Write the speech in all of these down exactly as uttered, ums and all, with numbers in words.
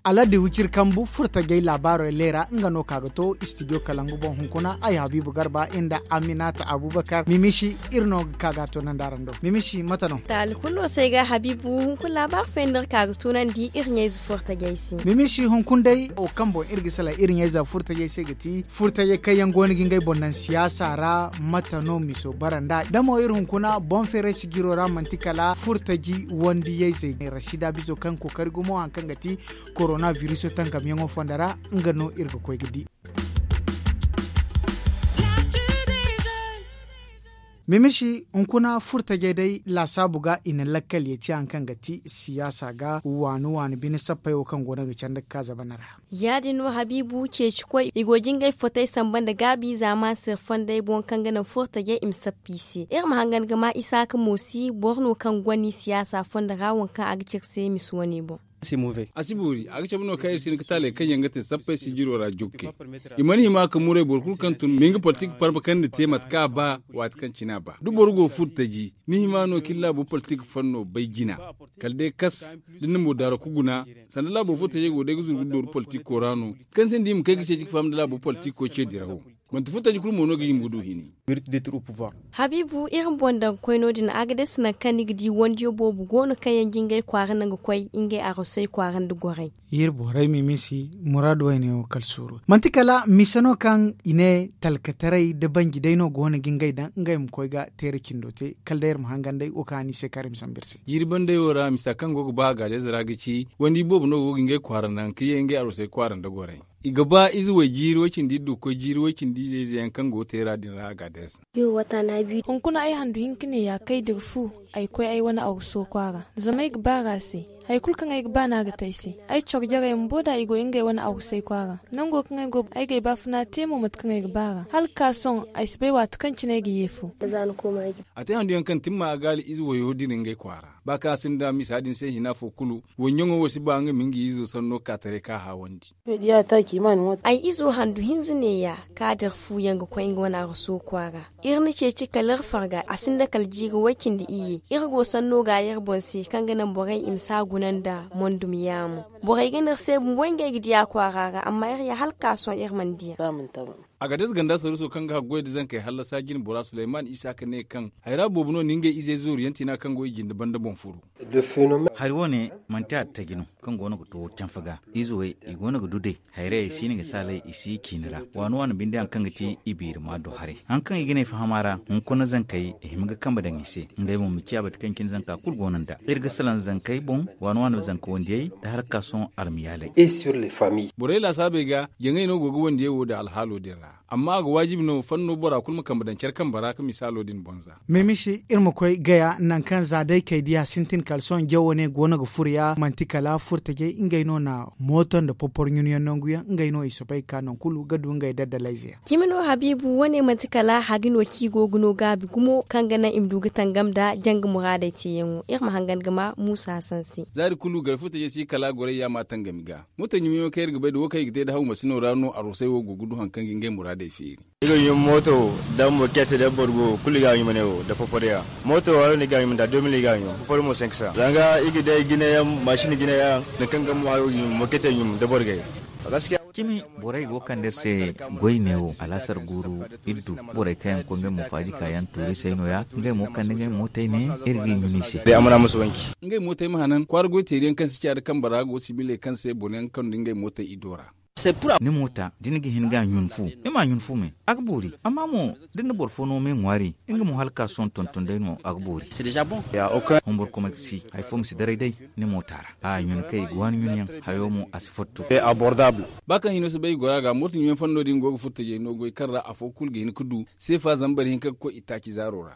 Aladi wiciri kambu furtajey laabaarey leera nga no ka ga to istidiyo kalangu boŋ hunkuna ay habiibu garba inda aminata abubakar mimisi iri no ga ka ga a to nandi araŋ do mimisi mate no? Taali kulu no se ga habiibu hunkuna laabaari fayandi iri ka ga tunandi iri ɲayze furtajey se. Mimisi hunkuna day wo kaŋ boŋ iri ga sala iri ɲayze furtajey se ga ti furtajey kaŋ yaŋ go no ga ngey boŋ naŋ siyaasa ra mate no miso bara nd'a da mo iri hunkuna boŋ feeray sijiro ra manti kala furtaji wandiyayzey ne rasida bizo kaŋ kookari gumo hari kaŋ ga ti korona biriso tankamyaŋo fondo ra nga no iri ga koy ga di. Mimisi hunkuna furtajey day laasaabu ga i na lakkal ye te hari kaŋ ga ti siyaasa ga waani waani bine sappey wo kaŋ go no ga candi ga ka zabana ra. Ya- din no habiibu ceecikoy i go ga ngey fotey samba nda gaabi zaama se fondey boŋ kaŋ ga naŋ furtajey i ma sappa i se iri ma hangan ga ma isaaka moosi boro no kaŋ goni siyaasa fondo ra waŋ kaŋ a ga ci iri se misi wane boŋ. A si boori a ga cabe no kaŋ iri si hin ga taaley kaŋ yaŋ ga te sappey sijiro ra jubkey. I mana hima ka muray boro kulu kaŋ tun ma hin ga politik parma kaŋ ni te mate kaŋ a ba waati kaŋ cine a ba da boro go furtaji ni hima no kaŋ ni laabo politik fanno bay jina kala day kas da ni na mo daaro ka guna. Sanda laabo furtajey go day ga zuru ga dooru politiko ra no kaŋ se ni di i ma kay ga ceeci ga faham nda laabo politiko ce dirawo. Manti furtaji kulu mo no ga hima ga du hini. Habiibu iri ma boŋ daŋ ga koy no- din a ga day si naŋ kaŋ ni ga di wandiyo boobo go no kaŋ yaŋ ga ngey kwaara naŋ ga koy ngey arosey kwaara nda gorey. Iri borey mimisi muraadu wayne wo kala suuru manti kala mise no kaŋ i ne talkataray da banji day no go no ga ngey daŋ ngey ma koy ga teera cindo te kala day iri ma hangan day wo kaŋ a no i se kaŋ iri ma sambu iri se. Jiiri bandey wo ra misa kaŋ go ga ba a gaadayze ra ga ci wandi boobo no go ga ngey kwaara naŋ ka ye ngey arosey kwaara nda gorey. I ga ba ize way jiiri way cindi iri du ga koy jiiri way cindi ize ize yaŋ kaŋ go ga teera din ra a gaadayze. Hunkuna ay handu hinka ne ya kay da iri fu ay koy ay wane aruso kwaara zama ay ga baar'a se. Hari kulu kaŋ ay ga ba no a ga te ay se. Ay coro jarey bumbo da i go ngey wane arusey kwaara nango kaŋ ay go ay ga ay baafuna te mo mate kaŋ ay ga baar'a hala ga ka sohõ ay si bay waati kaŋ cine ay ga ye fu. A te handu yaŋ kaŋ timma a gaali ize wayo din ngey kwaara ba kaŋ a sinda misa din se hina fo kulu. Wayyaŋo wo si ba nga ma nga izo sanno ka taray ka haawandi. Ay izo handu hinza neeya ka da iri fu yaŋ ga koy nga wane aruso kwaara. Iri na ceeci kala iri farga a sinda kala jiiri way-cindi iyye. Iri go sanno gaayi iri boŋ se kaŋ ga naŋ borey i ma si a guna nda mondum yaamo. Borey ga ne iri se bumbo ngey ga di a kwaara ra amma iri ya hala ga ka sohõ iri mana di a. Agades ganda saruuso kaŋ ga haggoy nda zankey hallasa jine bora suleyman isaaka ne kaŋ hayra boobo no na ngey izey zooru yaŋ tiina kaŋ go i jinde banda boŋ furu. Hari wo- ne manti attaji no kaŋ go no ga to canfa ga. Ize wey i go no ga du day. Hayrayey si no ga saalay i si ciini ra waani waani binde hari kaŋ ga ti i biiri ma do haray. Hari kaŋ i ga ne fahama ra hunkuna zankey i hima ga kambe daŋ i se. Ngey mo ma ciya bate kaŋ cine zanka kulu go no nd'a iri ga salaŋ zankey boŋ waani waani zanka wandiyey nda harakasoŋ almiyaaley. Borey laasaabey ga jaŋey no go ga wandiyey wo daŋ alhaalo din ra. Amma a ga waajibi no fanno bora kulu ma kambe daŋ care kambe ra ka misaalo din boŋ za. Mimisi iri ma koy gaya nangu kaŋ za day kay diya sintin kala sohõ jawo ne go no ga furo ya manti kala furtajey ngey no na mooto nda popor ɲun yaŋ nangu yaŋ ngey no i soobay ga ka nangu kulu ga du ngey daddalayze yaŋ. Cimi no habiibu wane manti kala hagi no kaŋ i go ga no gaabi gumo kaŋ ga naŋ i ma du ga tangam nda janga muraadey teeyaŋo iri ma hangan ga ma muusa hasan se. Zaari kulu gare furtajey si kala goray yaama tangami ga. Mootey ɲumiyaŋo kaŋ iri ga bay nda wo kaŋ i ga te nda haw masino ra no arosey wo go ga du hari kaŋ ga ngey muraadey feeri. I ga ɲum mooto wo nda mokete nda borgo kulu i ga a ɲum ne wo nda popor yaŋ. Mooto wo hari no i ga a ɲum nda deux mille i ga a ɲum popor mo cinq cents zanga i ga day jine yaŋ masin jine yaŋ nangu kaŋ ga mo hari wo ga ɲum mokete ɲum nda borgey. Cimi borey go ga kande iri se goy ne wo alaasar guuru iddu. Borey kaŋ yaŋ ga koy ngey mo faaji kaayaŋ tuuri se no- ya ngey mo kande ngey mootey ne iri ga i ɲun i se. Ngey mootey ma hanan kwaara goy teeri yaŋ kaŋ si caadi kambe ra go sibiley kaŋ se boro yaŋ ga kande ngey mootey iddo ra. Ni moota da ni ga hin ga a ɲun fu ni ma a ɲun fu me a ga boori. Amma mo da ni na boro fo no me ŋwaari nga mo hala ga ka sohõ tonton day no a ga boori. Humbur kuma si hari fo ma si daray day ni moota ra a ɲun kay ga waani ɲun yaŋ hayo mo a si fotto. Ba kaŋ hino si bay i gora ga mooto ɲun yaŋ fanno din go ga furtajey no goy kaŋ ra afo kulu ga hin ga du seefa zambar hinka ga koy itaaci zaaro ra.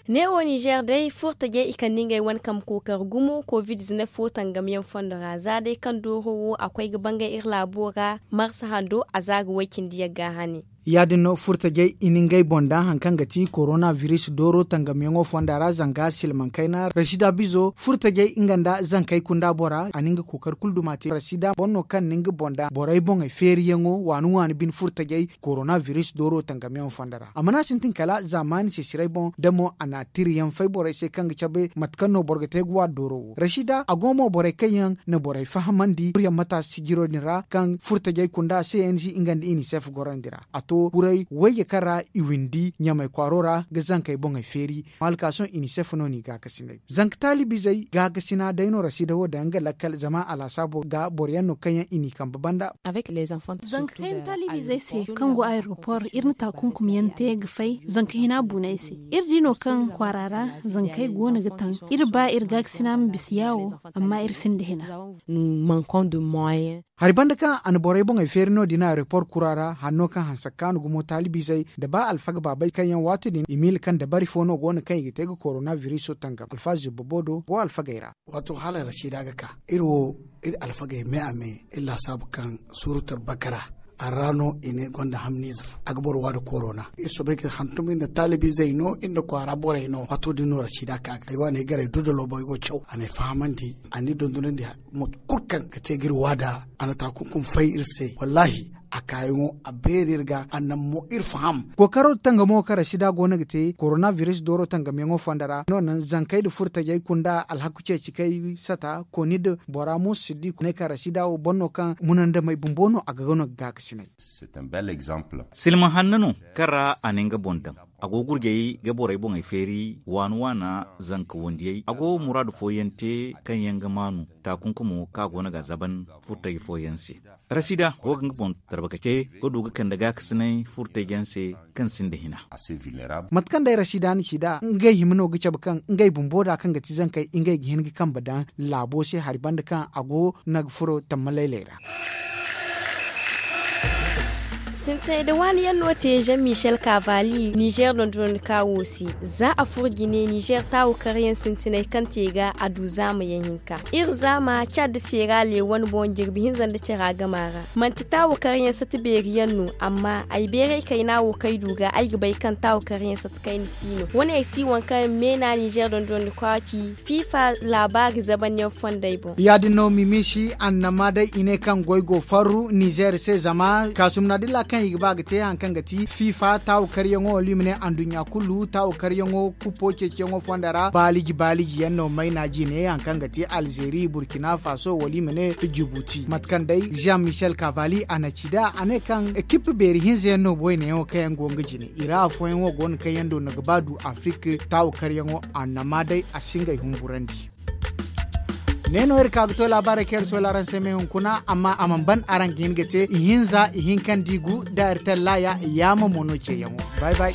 Neewo nizeer day furtajey i kande ngey wane kambe kookari gumo covid-19 wo tangamyaŋ fondo ra za day kaŋ dooro wo a koy ga bangay iri laabo ra marsa hando a za ga way-cindi yagga hane. Ya- din no furtajey i na ngey boŋ daŋ hari kaŋ ga ti korona biris dooro tangamyaŋo fonda ra zanga silmaŋ kayna rasida bizo furtajey nga nda zankey kunda bora a na nga kookari kulu duma te rasida boŋ no kaŋ na nga boŋ daŋ borey boŋey feeriyaŋo waani waani bine furtajey korona biris dooro tangamyaŋo fonda ra a mana sintin kala zaamaani sesiray boŋ da mo a na a tiriyaŋ fay borey se kaŋ ga cabe mate kaŋ no boro ga te ga waani dooro wo rasida a go mo borey kaŋ yaŋ na borey fahamandi buryaŋ mata sijiro din ra kaŋ furtajey kunda se yaŋ si nga nda inisef gorandi ra a to burey wayye kaŋ ra i windi ɲamey kwaaro ra ga zankey boŋey feeri. Maalkaasoŋ inisef no n'i gaakasinay zanka taalibizey gaakasina day no rasida wo daŋ nga lakkal zama alhasaabo ga boro yaŋ no kaŋ yaŋ i n'i kambe banda. Zanka kaŋ yaŋ taalibizey se kaŋ go ayeropor iri na taakunkumyaŋ te ga fay zanka hina buuney se. Iri di no kaŋ kwaara ra zankey go no ga taŋ. Iri ba iri gaakasina ma bisa yaawo amma iri sinda hina. Hari banda kaŋ a na borey boŋey feeri no- din ayeropor kura ra hanno kaŋ hanse kaanu gumo taalibizey nda ba alfaga baabey kaŋ yaŋ waati din i miila kaŋ dabari fo no go no kaŋ i ga te ga korona biriso tangam alfaazi boobo do go alfagey ra. Waato hala rasida ga ka iri wo iri alfagey me a me iri laasaabu kaŋ surutar bakara a ra no i ne gonda hamniize fo a ga boro waada korona. Iri soobay ga hantum iri nda taalibizey no iri nda kwaara borey no waato din no rasida ka ga ay waaney garay dudalo boy go caw a n'ay fahamandi a n'i dondonandi. Mate kulu kaŋ ga te ga iri waada a na taakunkum fay iri se wallaahi a kaayaŋo a beeri iri ga a naŋ mo iri faham. Kookaro tangamo kaŋ rasida go no ga te korona biris dooro tangamyaŋo fonda ra no naŋ zankey nda furtajey kunda alhaku ceeci kay sata kooni nda bora mo siddi ne kaŋ rasida wo boro no kaŋ munandamey bumbo no a ga no ga gaakasinay. Silma hanno no kaŋ ra a na nga boŋ daŋ a go gurjey ga borey boŋey feeri waana waana zanka wandiyey a go muraadu fooyaŋ te kaŋ yaŋ ga maanu taakunkumo kaŋ a go no ga a zaban furtaji fooyaŋ se. Rasida go ga nga boŋ tarbakace ga du ga kande gaakasinay furtaji yaŋ se kaŋ sinda hina. Mate kaŋ day rasida na ci nd'a ngey hima no ga cabe kaŋ ngey bumbo da kaŋ ga ti zankey ngey ga hin ga kambe daŋ laabo se hari banda kaŋ a go no ga furo tamma laylay ra. Sintinay da waani yaŋ no te jean michel kavali nizer dondonandika wo se. Za a furo jine nizer taawo karyaŋ sintinay kaŋ te ga a du zaama yaŋ hinka iri zaama cad da seera leewan boŋ jirbi hinza nda cara gama ra. Manti taawo karyaŋ sata beeri yaŋ no amma ay beeray kayna wo kaŋ ay du ga ay ga bay kaŋ taawo karyaŋ sata kayna si no wane ay ti waŋ kaŋ meena nizer dondonandika ci fifa laabaari zaban yaŋ fonday boŋ. Ya- din no mimisi annama day i ne kaŋ goy go farru nizer se zama kaasumna dilla kaŋ i ga ba ga te hari kaŋ ga ti fifa taawo karyaŋo wala i ma ne anduɲɲa kulu taawo karyaŋo kupo ceeciyaŋo fonda ra baaliji baaliji yaŋ no mayna jine hari kaŋ ga ti alzeeri burkina faso wala i ma ne jibuti mate kaŋ day jean michel kavali a na ci nd'a a ne kaŋ ekip beeri hinza yaŋ no boyne yaŋo kaŋ yaŋ go nga jine i ra afooyaŋo go no kaŋ yaŋ do no ga ba du afrik taawo karyaŋo annama day a si ngey humburandi. Ne no iri ka ga to laabaarey kaŋ iri soola araŋ se me hunkuna amma a mana ban araŋ ga hin ga te ihinza ihinka nda igu da iri tallaya yaama mo no ceeyaŋo. Bay bay.